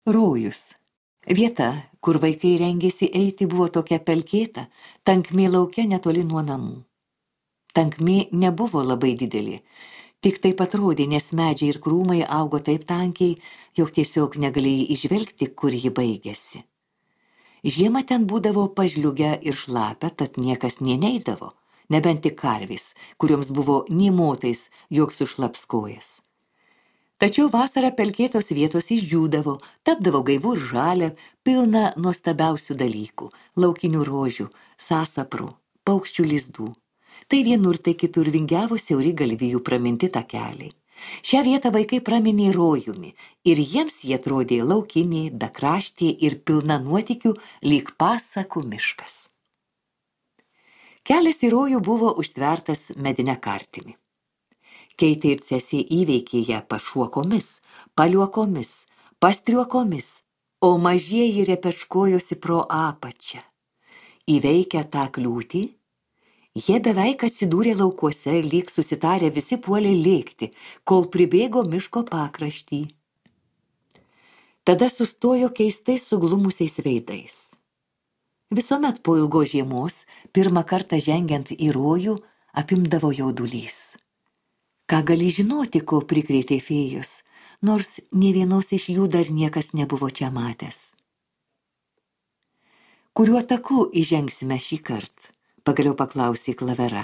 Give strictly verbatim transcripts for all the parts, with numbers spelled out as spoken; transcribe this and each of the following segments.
Rojus. Vieta, kur vaikai rengėsi eiti, buvo tokia pelkėta, tankmė lauke netoli nuo namų. Tankmė nebuvo labai didelė, tik taip atrodė, nes medžiai ir krūmai augo taip tankiai, jog tiesiog negalėjai įžvelgti, kur ji baigėsi. Žiemą ten būdavo pažliugę ir šlapę, tad niekas nė neidavo, nebent tik karvės, kurioms buvo nė motais, jog sušlaps kojas. Tačiau vasarą pelkėtos vietos išdžiūdavo, tapdavo gaivų ir žalia, pilna nuostabiausių dalykų, laukinių rožių, sasaprų, paukščių lizdų. Tai vienur, tai kitur vingiavo siauri galvijų praminti takeliai. Šią vietą vaikai praminė rojumi ir jiems jie atrodė laukinė, bekraštė ir pilna nuotykių lyg pasakų miškas. Kelias į rojų buvo užtvertas medine kartimi. Keitė ir Cesė įveikė ją pašuokomis, paliuokomis, pastriuokomis, o mažieji repečkojosi pro apačią. Įveikę tą kliūtį, jie beveik atsidūrė laukuose ir lyg susitarę visi puolė lėkti, kol pribėgo miško pakraštį. Tada sustojo keistai suglumusiais veidais. Visuomet po ilgos žiemos, pirmą kartą žengiant į rojų, apimdavo jaudulys. Ką gali žinoti, ko prikrėtė fėjos, nors nė vienos iš jų dar niekas nebuvo čia matęs. Kuriuo taku įžengsime šį kartą? Pagaliau paklausė Klavera.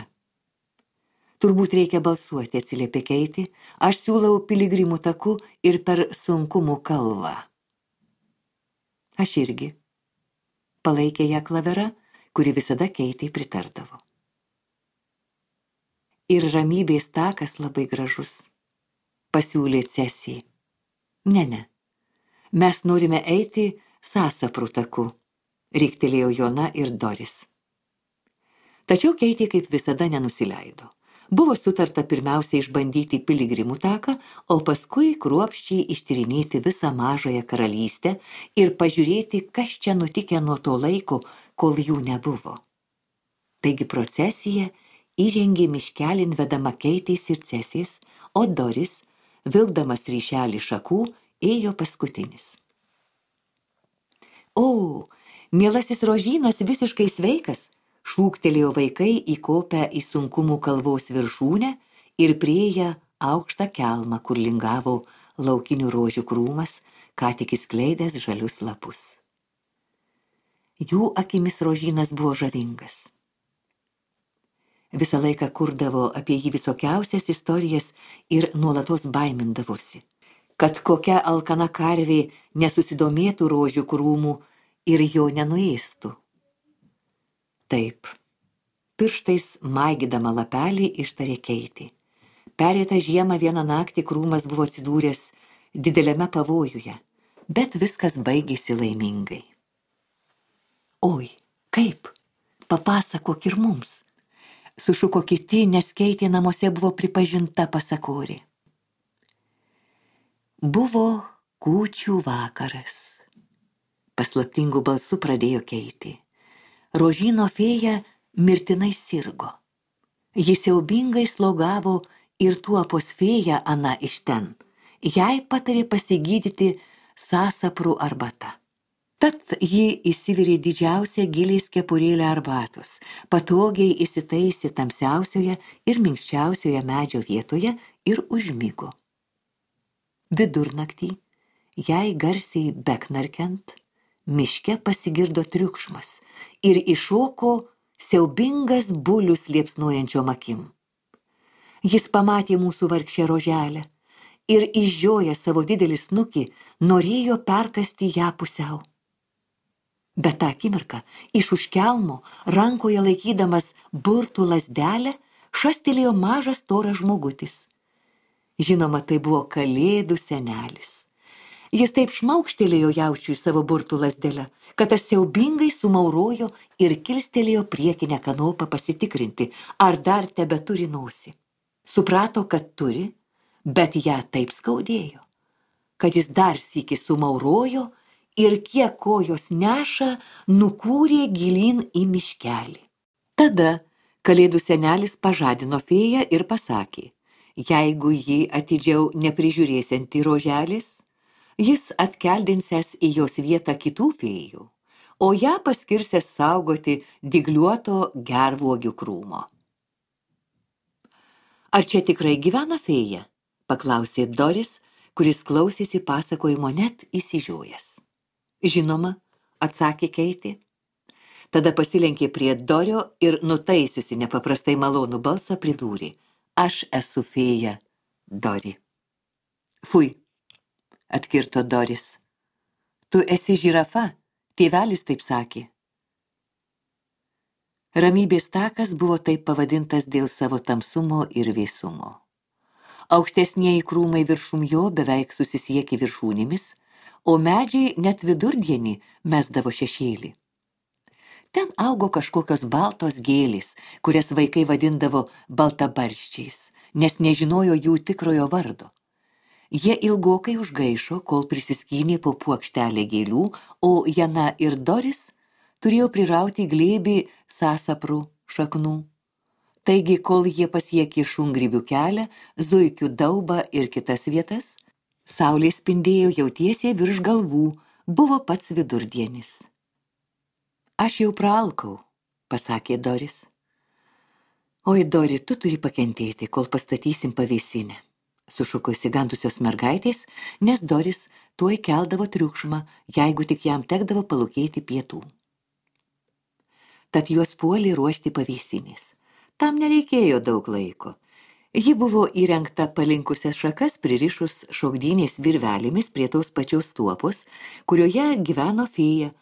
Turbūt reikia balsuoti, atsiliepė Keitė, aš siūlau piligrimų taku ir per sunkumų kalvą. Aš irgi. Palaikė ją Klavera, kuri visada Keitei pritardavo. Ir ramybės takas labai gražus, pasiūlė Cesė. Ne, ne, mes norime eiti sasaprų taku, riktelėjo Jona ir Doris. Tačiau Keitė kaip visada nenusileido. Buvo sutarta pirmiausia išbandyti piligrimų taką, o paskui kruopščiai ištyrinėti visą mažąją karalystę ir pažiūrėti, kas čia nutikę nuo to laiko, kol jų nebuvo. Taigi procesija įžengė miškelin vedama Keitės ir Cesės, o Doris, vilkdamas ryšelį šakų, ėjo paskutinis. O, mielasis Rožynas visiškai sveikas, šūktelėjo vaikai įkopę į sunkumų kalvos viršūnę ir priėję aukštą kelmą, kur lingavo laukinių rožių krūmas, ką tik įskleidęs žalius lapus. Jų akimis Rožynas buvo žavingas. Visą laiką kurdavo apie jį visokiausias istorijas ir nuolatos baimindavosi, kad kokia alkana karvė nesusidomėtų rožių krūmų ir jo nenuėstų. Taip, pirštais maigydama lapelį ištarė Keitė. Perėtą žiemą vieną naktį krūmas buvo atsidūręs dideliame pavojuje, bet viskas baigėsi laimingai. Oi, kaip? Papasakok ir mums. Sušuko kiti, nes Keitė namuose buvo pripažinta pasakorė. Buvo kūčių vakaras. Paslaptingų balsų pradėjo Keitė. Rožyno fėja mirtinai sirgo. Jis siaubingai slogavo ir tuopos fėja ana iš ten. Jai patarė pasigydyti sasaprų arbata. Tad ji įsivirė didžiausią giliais kepurėlę arbatos, patogiai įsitaisė tamsiausioje ir minkščiausioje medžio vietoje ir užmigo. Vidurnaktį, jai garsiai beknarkiant, miške pasigirdo triukšmas ir iššoko siaubingas bulius liepsnojančiom akim. Jis pamatė mūsų vargšę roželę ir išžiojęs savo didelį snukį norėjo perkasti ją pusiau. Bet tą akimirką iš už kelmo, rankoje laikydamas burtų lazdelę, šastelėjo mažas storas žmogutis. Žinoma, tai buvo Kalėdų senelis. Jis taip šmaukštelėjo jaučiui savo burtų lazdelę, kad tas siaubingai sumaurojo ir kilstelėjo priekinę kanopą pasitikrinti, ar dar tebeturi nosį. Suprato, kad turi, bet ją taip skaudėjo, kad jis dar sykį sumaurojo ir kiek kojos neša, nukūrė gilyn į miškelį. Tada Kalėdų senelis pažadino fėją ir pasakė, jeigu ji atidžiau neprižiūrėsianti roželės, Jis atkeldinsęs į jos vietą kitų fėjų, o ją paskirsęs saugoti dygliuoto gervuogių krūmo. Ar čia tikrai gyvena fėja? Paklausė Doris, kuris klausėsi pasakojimo net įsižiojęs. Žinoma, atsakė Keitė. Tada pasilenkė prie Dorio ir nutaisiusi nepaprastai malonų balsą pridūrė. Aš esu fėja, Dori. Fui, atkirto Doris. Tu esi žirafa, tėvelis taip sakė. Ramybės takas buvo taip pavadintas dėl savo tamsumo ir vėsumo. Aukštesnieji krūmai viršum jo beveik susisiekė viršūnėmis, o medžiai net vidurdienį mesdavo šešėlį. Ten augo kažkokios baltos gėlės, kurias vaikai vadindavo baltabarščiais, nes nežinojo jų tikrojo vardo. Jie ilgokai užgaišo, kol prisiskynė po puokštelę gėlių, o Jana ir Doris turėjo prirauti glėbį sasaprų šaknų. Taigi, kol jie pasiekė šungrybių kelią, zuikių daubą ir kitas vietas, saulė spindėjo jau tiesiai virš galvų, buvo pats vidurdienis. Aš jau praalkau, pasakė Doris. Oi, Dori, tu turi pakentėti, kol pastatysim pavėsinę, sušuko įsigandusios mergaitės, nes Doris tuoj keldavo triukšmą, jeigu tik jam tekdavo palūkėti pietų. Tad juos puolė ruošti pavėsinės. Tam nereikėjo daug laiko. Ji buvo įrengta palinkusias šakas pririšus šokdynės virvelėmis prie tos pačios tuopos, kurioje gyveno fėja,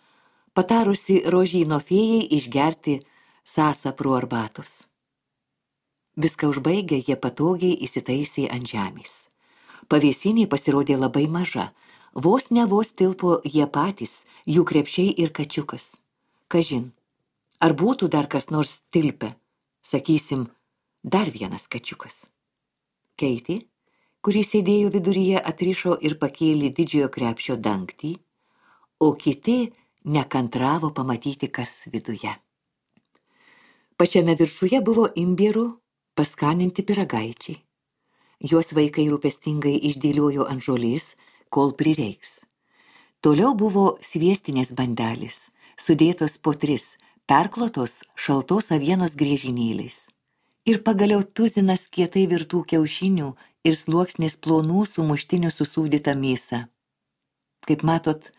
patarusi rožyno fėjai išgerti sasaprų arbatos. Viską užbaigę, jie patogiai įsitaisė ant žemės. Pavėsinė pasirodė labai maža, vos ne vos tilpo jie patys, jų krepšiai ir kačiukas. Kažin, ar būtų dar kas nors tilpę, sakysim, dar vienas kačiukas. Keitė, kuri sėdėjo viduryje, atrišo ir pakėlė didžiojo krepšio dangtį, o kiti nekantravo pamatyti, kas viduje. Pačiame viršuje buvo imbierų paskaninti pyragaičiai. Jos vaikai rūpestingai išdėliojo ant žolės, kol prireiks. Toliau buvo sviestinės bandelės, sudėtos po tris, perklotos šaltos avienos griežinėliais. Ir pagaliau tuzinas kietai virtų kiaušinių ir sluoksnės plonų sumuštinių susūdyta mėsa. Kaip matot,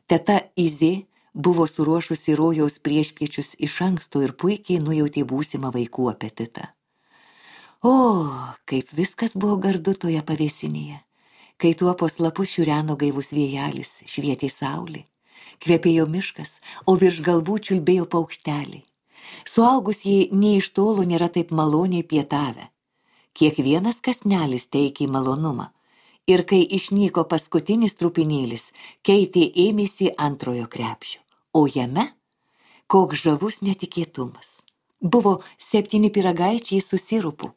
teta Izė buvo suruošusi rojaus priešpiečius iš anksto ir puikiai nujautė būsimą vaikų apetitą. O, kaip viskas buvo gardu toje pavėsinėje, kai tuopos lapus šiureno gaivus vėjelis, švietė saulė, kvepėjo miškas, o virš galvų čiulbėjo paukšteliai. Suaugusieji nė iš tolo nėra taip maloniai pietavę. Kiekvienas kąsnelis teikė malonumą. Ir kai išnyko paskutinis trupinėlis, Keitė ėmėsi antrojo krepšio, o jame koks žavus netikėtumas. Buvo septyni pyragaičiai su sirupu.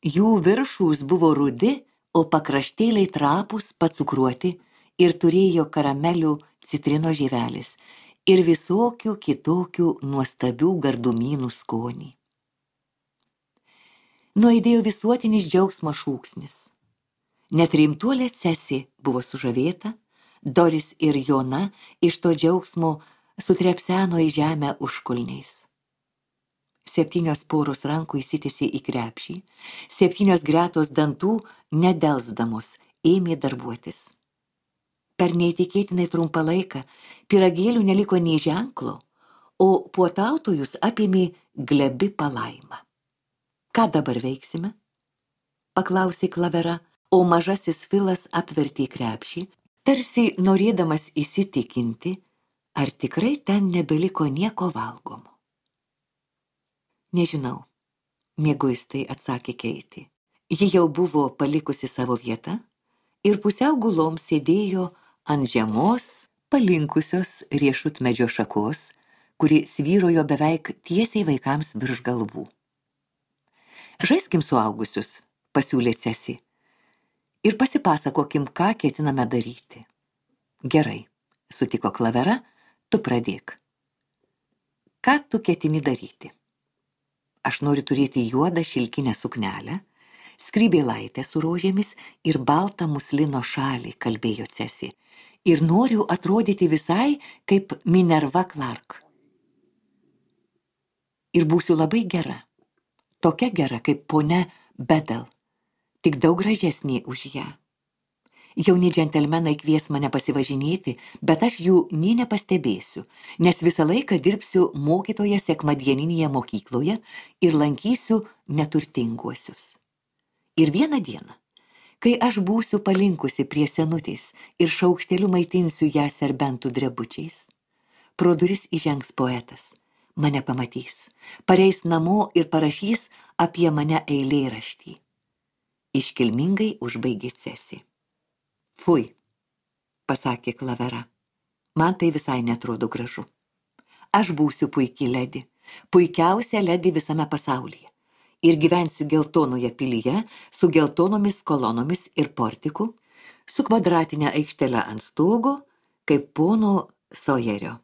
Jų viršūs buvo rudi, o pakraštėliai trapūs, pacukruoti ir turėjo karamelių citrino žievelės ir visokių kitokių nuostabių gardumynų skonį. Nuaidėjo visuotinis džiaugsmo šūksnis. Net rimtuolė Cesi buvo sužavėta, Doris ir Jona iš to džiaugsmo sutrepseno į žemę užkulniais. Septynios poros rankų įsitėsi į krepšį, septynios gretos dantų, nedelsdamos, ėmė darbuotis. Per neįtikėtinai trumpą laiką pyragėlių neliko nei ženklo, o puotautojus apėmė glebi palaima. Ką dabar veiksime? Paklausė Klavera, o mažasis Filas apvertė krepšį, tarsi norėdamas įsitikinti, ar tikrai ten nebeliko nieko valgomo. Nežinau, mieguistai atsakė Keitė. Ji jau buvo palikusi savo vietą ir pusiau gulom sėdėjo ant žemos, palinkusios riešutmedžio šakos, kuri svyrojo beveik tiesiai vaikams virš galvų. Žaiskim suaugusius, pasiūlė Cesi, ir pasipasakokim, ką ketiname daryti. Gerai, sutiko Klavera, tu pradėk. Ką tu ketini daryti? Aš noriu turėti juodą šilkinę suknelę, Skrybėlaitę su rožėmis ir baltą muslino šalį, kalbėjo Cesi. Ir noriu atrodyti visai kaip Minerva Clark. Ir būsiu labai gera. Tokia gera kaip ponia Bedel, tik daug gražesnė už ją. Jauni džentelmenai kvies mane pasivažinėti, bet aš jų nė nepastebėsiu, nes visą laiką dirbsiu mokytoja sekmadieninėje mokykloje ir lankysiu neturtinguosius. Ir vieną dieną, kai aš būsiu palinkusi prie senutės ir šaukšteliu maitinsiu ją serbentų drebučiais, pro duris įžengs poetas, mane pamatys, pareis namo ir parašys apie mane eilėraštį. Iškilmingai užbaigė Cesi. Fui, pasakė Klavera, man tai visai netrodo gražu. Aš būsiu puiki ledi, puikiausia ledi visame pasaulyje. Ir gyvensiu geltonoje pilyje, su geltonomis kolonomis ir portiku, su kvadratinė aikštele ant stogo, kaip pono Sojerio.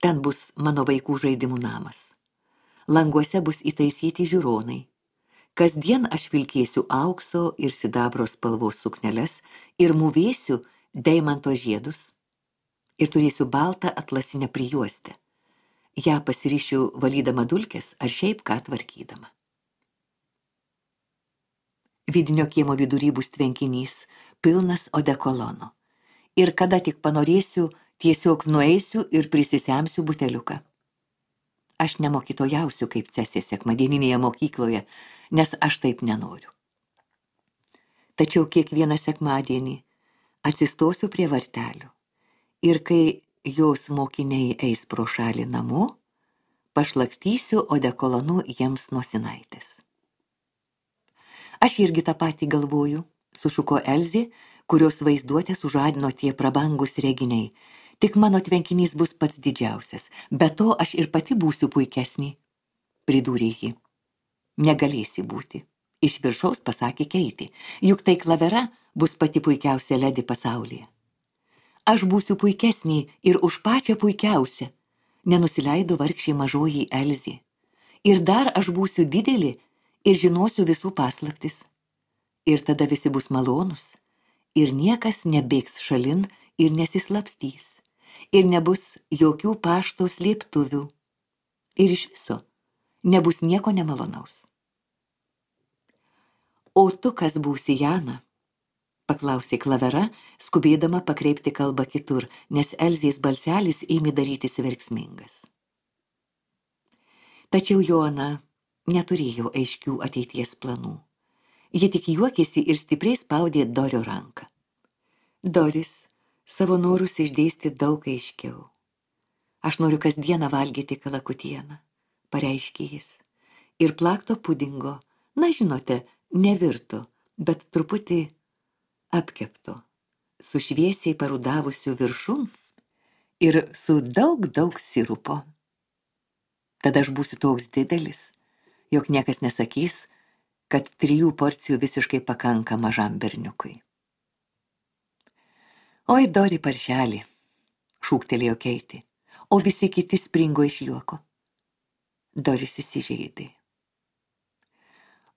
Ten bus mano vaikų žaidimų namas. Languose bus įtaisyti žiūronai. Kasdien aš vilkėsiu aukso ir sidabro spalvos sukneles ir mūvėsiu deimanto žiedus. Ir turėsiu baltą atlasinę prijuostę. Ja pasirišiu valydama dulkes ar šiaip ką tvarkydama. Vidinio kiemo vidury bus tvenkinys, pilnas odekolono. Ir kada tik panorėsiu, tiesiog nueisiu ir prisisemsiu buteliuką. Aš nemokytojausiu kaip Cesė sekmadieninėje mokykloje, nes aš taip nenoriu. Tačiau kiekvieną sekmadienį atsistosiu prie vartelių ir kai jos mokiniai eis pro šalį namo, pašlakstysiu odekolonu jiems nosinaitės. Aš irgi tą patį galvoju, sušuko Elzė, kurios vaizduotę sužadino tie prabangus reginiai. Tik mano tvenkinys bus pats didžiausias, be to aš ir pati būsiu puikesnė, pridūrė ji. Negalėsi būti, iš viršaus pasakė Keitė, juk tai Klavera bus pati puikiausia ledi pasaulyje. Aš būsiu puikesnė ir už pačią puikiausią, nenusileido vargšė mažoji Elzė. Ir dar aš būsiu didelė ir žinosiu visų paslaptis. Ir tada visi bus malonus, ir niekas nebėgs šalin ir nesislapstys. Ir nebus jokių pašto slėptuvių. Ir iš viso nebus nieko nemalonaus. O tu kas būsi, Jana? Paklausė Klavera, skubėdama pakreipti kalbą kitur, nes Elzės balselis ėmė darytis verksmingas. Tačiau Joana neturėjo aiškių ateities planų. Ji tik juokėsi ir stipriai spaudė Dorio ranką. Doris savo norus išdėstė daug aiškiau. Aš noriu kasdieną valgyti kalakutieną, pareiškė jis. Ir plakto pudingo, na žinote, nevirto, bet truputį apkepto, su šviesiai parudavusiu viršum ir su daug, daug sirupo. Tada aš būsiu toks didelis, jog niekas nesakys, kad trijų porcijų visiškai pakanka mažam berniukui. Oi, Dori paršelį, šūktelėjo Keitė, o visi kiti springo iš juoko. Doris įsižeidė.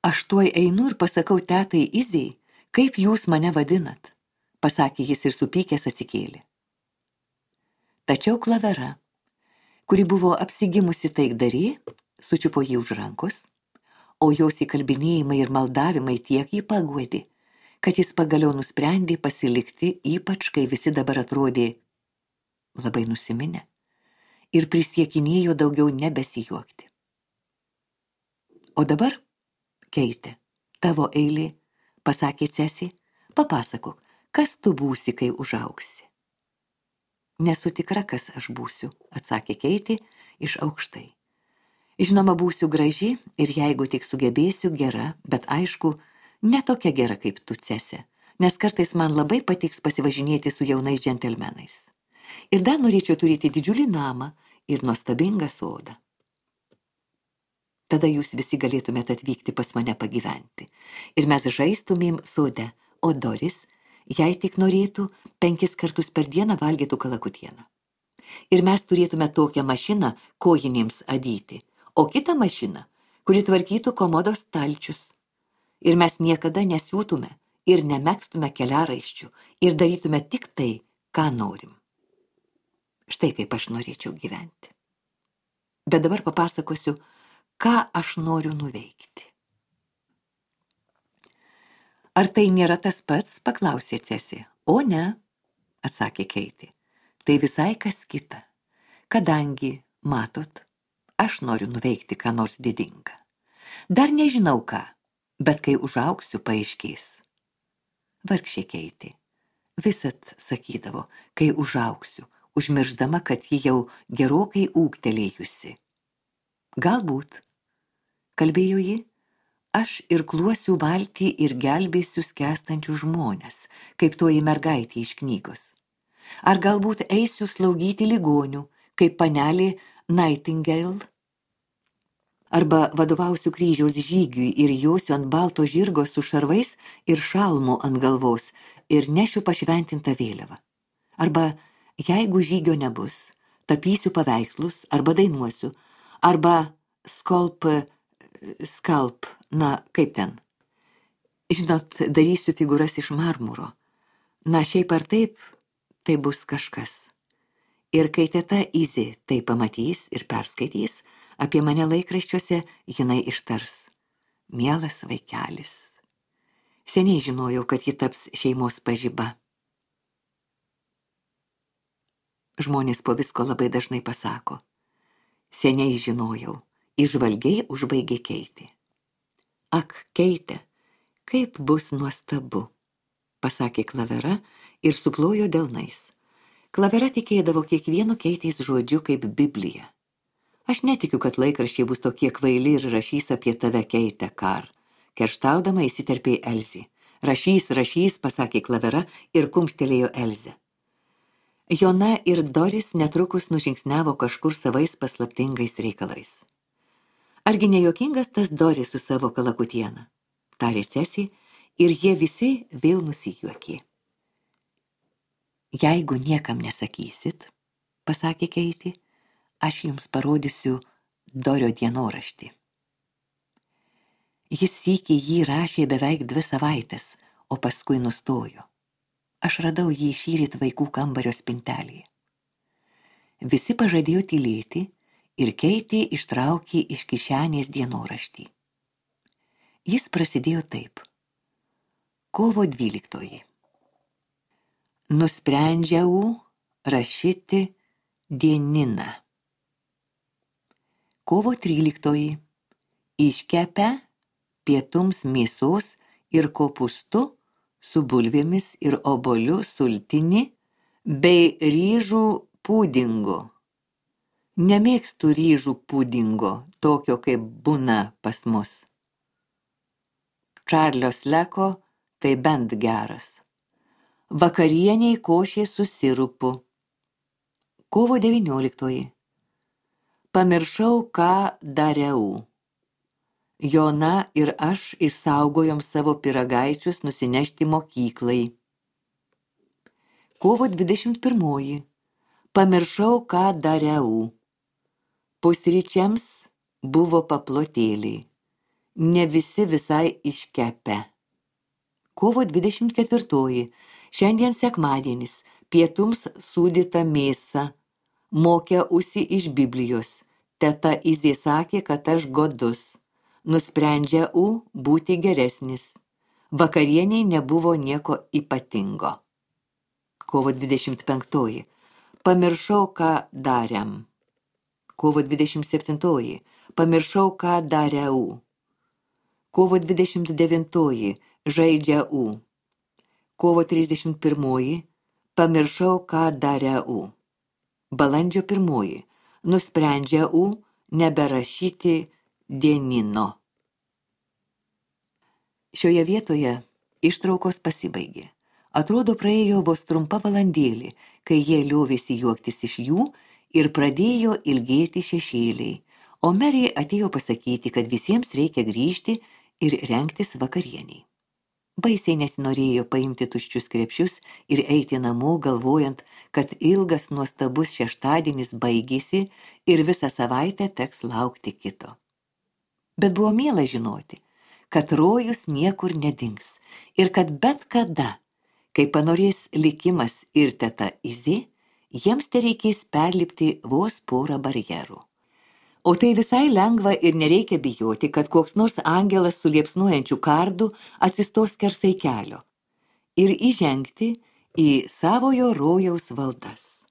Aš tuoj einu ir pasakau tetai Izei, kaip jūs mane vadinat, pasakė jis ir supykęs atsikėlė. Tačiau Klavera, kuri buvo apsigimusi taikdarė, sučiupo jį už rankos, o jos įkalbinėjimai ir maldavimai tiek jį paguodė, kad jis pagaliau nusprendė pasilikti, ypač kai visi dabar atrodė labai nusiminę ir prisiekinėjo daugiau nebesijuokti. O dabar, Keitė, tavo eilė, pasakė Cesi, papasakok, kas tu būsi, kai užaugsi. Nesu tikra, kas aš būsiu, atsakė Keitė iš aukštai. Žinoma, būsiu graži ir jeigu tik sugebėsiu gera, bet aišku, ne tokia gera kaip tu, Cese, nes kartais man labai patiks pasivažinėti su jaunais džentelmenais. Ir dar norėčiau turėti didžiulį namą ir nuostabingą sodą. Tada jūs visi galėtumėte atvykti pas mane pagyventi. Ir mes žaistumėm sode, o Doris, jei tik norėtų, penkis kartus per dieną valgytų kalakutieną. Ir mes turėtume tokią mašiną kojinėms adyti, o kitą mašiną, kuri tvarkytų komodos stalčius. Ir mes niekada nesiūtume ir nemegstume keliaraiščių ir darytume tik tai, ką norim. Štai kaip aš norėčiau gyventi. Bet dabar papasakosiu, ką aš noriu nuveikti. Ar tai nėra tas pats, paklausė Cesi. O ne, atsakė Keitė. Tai visai kas kita. Kadangi, matot, aš noriu nuveikti ką nors didinga. Dar nežinau ką, bet kai užaugsiu, paaiškės. Vargšė Keitė. Visat sakydavo, kai užaugsiu, užmirždama, kad ji jau gerokai ūgtelėjusi. Galbūt, kalbėjo ji, aš irkluosiu valtį ir gelbėsiu skęstančių žmones, kaip toji mergaitė iš knygos. Ar galbūt eisiu slaugyti ligonių, kaip panelė Nightingale? Arba vadovausiu kryžiaus žygiui ir josiu ant balto žirgo su šarvais ir šalmu ant galvos ir nešiu pašventintą vėliavą. Arba, jeigu žygio nebus, tapysiu paveikslus arba dainuosiu, arba skolp, skalp, na, kaip ten. Žinot, darysiu figūras iš marmuro. Na, šiaip ar taip, tai bus kažkas. Ir kai teta Izė tai pamatys ir perskaitys, apie mane laikraščiuose jinai ištars. Mielas vaikelis. Seniai žinojau, kad ji taps šeimos pažiba. Žmonės po visko labai dažnai pasako. Seniai žinojau, įžvalgiai užbaigė Keitė. Ak, Keitė, kaip bus nuostabu, pasakė Klavera ir suplojo delnais. Klavera tikėdavo kiekvienu Keitės žodžiu kaip Biblija. Aš netikiu, kad laikraščiai bus tokie kvaili ir rašys apie tave, Keitė, Kar. Kerštaudama įsiterpė Elzė. Rašys, rašys, pasakė Klavera ir kumštelėjo Elzę. Jona ir Doris netrukus nužingsniavo kažkur savais paslaptingais reikalais. Argi nejuokingas tas Doris su savo kalakutiena, tarė Cesi, ir jie visi vėl nusijuokė. Jeigu niekam nesakysit, pasakė Keitė, aš jums parodysiu Dorio dienoraštį. Jis sykį jį rašė beveik dvi savaitės, o paskui nustojo. Aš radau jį šįryt vaikų kambario spintelėje. Visi pažadėjo tylėti ir Keitė ištraukė iš kišenės dienoraštį. Jis prasidėjo taip. Kovo dvyliktoji. Nusprendžiau rašyti dieniną. Kovo tryliktoji. Iškepę pietums mėsos ir kopūstų su bulvėmis ir obuolių sultinį bei ryžų pudingo. Nemėgstu ryžų pudingo, tokio kaip būna pas mus. Čarlio Sleko tai bent geras. Vakarieniai košė su sirupu. Kovo devynioliktoji. Pamiršau, ką dariau. Jona ir aš išsaugojom savo pyragaičius nusinešti mokyklai. Kovo dvidešimt pirmoji. Pamiršau, ką dariau. Pusryčiams buvo paplotėliai. Ne visi visai iškepę. Kovo dvidešimt ketvirtoji. Šiandien sekmadienis. Pietums sūdyta mėsa. Mokiausi iš Biblijos. Teta Izė sakė, kad aš godus. Nusprendžiau būti geresnis. Vakarieniai nebuvo nieko ypatingo. Kovo dvidešimt penktoji. Pamiršau, ką darėm. Kovo dvidešimt septintoji. Pamiršau, ką dariau. Kovo dvidešimt devintoji. Žaidžiau. Kovo trisdešimt pirmoji. Pamiršau, ką dariau. Balandžio pirmoji. Nusprendžiau neberašyti dienino. Šioje vietoje ištraukos pasibaigė. Atrodo, praėjo vos trumpa valandėlė, kai jie liovėsi juoktis iš jų ir pradėjo ilgėti šešėliai, o Merė atėjo pasakyti, kad visiems reikia grįžti ir rengtis vakarieniai. Baisiai nesinorėjo paimti tuščius krepšius ir eiti namo, galvojant, kad ilgas nuostabus šeštadienis baigėsi ir visą savaitę teks laukti kito. Bet buvo miela žinoti, kad rojus niekur nedings ir kad bet kada, kai panorės likimas ir teta Izė, jiems tereikės perlipti vos porą barjerų. O tai visai lengva ir nereikia bijoti, kad koks nors angelas su liepsnojančiu kardu atsistos skersai kelio ir įžengti į savojo rojaus valdas.